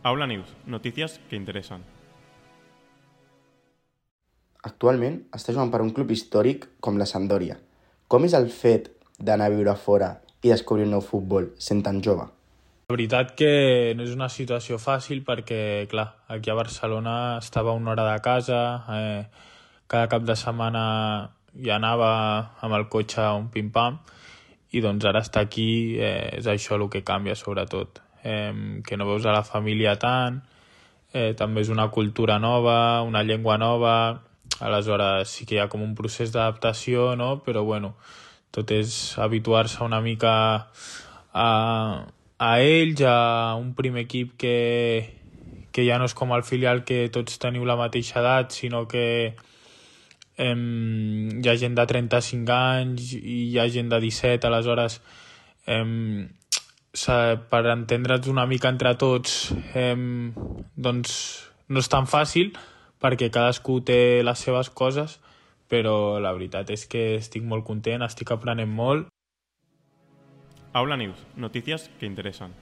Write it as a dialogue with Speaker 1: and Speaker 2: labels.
Speaker 1: Aula News, notícies que interessen.
Speaker 2: Actualment està jugant per un club històric com la Sampdoria. Com és el fet d'anar a viure fora i descobrir un nou futbol sent tan jove?
Speaker 3: La veritat que no és una situació fàcil perquè, clar, aquí a Barcelona estava a una hora de casa, cada cap de setmana ja anava amb el cotxe a un pim-pam, i doncs ara estar aquí és això el que canvia sobretot, que no veus a la família tant, també és una cultura nova, una llengua nova, aleshores sí que hi ha com un procés d'adaptació, no? Però bueno, tot és habituar-se una mica a ells, a un primer equip que ja no és com el filial que tots teniu la mateixa edat, sinó que hi ha gent de 35 anys i hi ha gent de 17, aleshores per entendre'ns una mica entre tots doncs no és tan fàcil perquè cadascú té les seves coses, però la veritat és que estic molt content, estic aprenent molt.
Speaker 1: Aula News, notícies que interessen.